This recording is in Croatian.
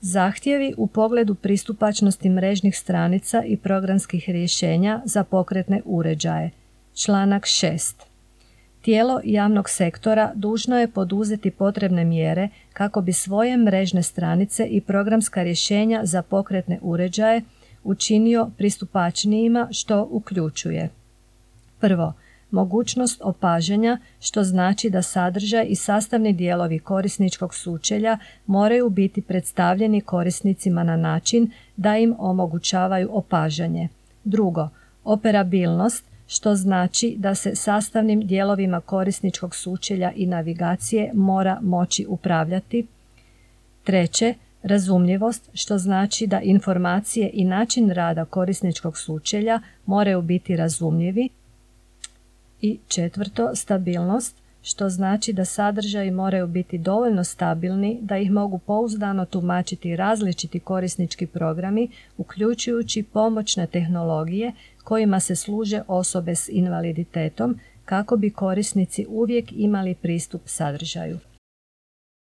Zahtjevi u pogledu pristupačnosti mrežnih stranica i programskih rješenja za pokretne uređaje. Članak 6. Tijelo javnog sektora dužno je poduzeti potrebne mjere kako bi svoje mrežne stranice i programska rješenja za pokretne uređaje učinio pristupačnijima, što uključuje: prvo, mogućnost opažanja, što znači da sadržaj i sastavni dijelovi korisničkog sučelja moraju biti predstavljeni korisnicima na način da im omogućavaju opažanje. Drugo, operabilnost, što znači da se sastavnim dijelovima korisničkog sučelja i navigacije mora moći upravljati. Treće, razumljivost, što znači da informacije i način rada korisničkog sučelja moraju biti razumljivi. I četvrto, stabilnost, što znači da sadržaji moraju biti dovoljno stabilni da ih mogu pouzdano tumačiti različiti korisnički programi, uključujući pomoćne tehnologije kojima se služe osobe s invaliditetom, kako bi korisnici uvijek imali pristup sadržaju.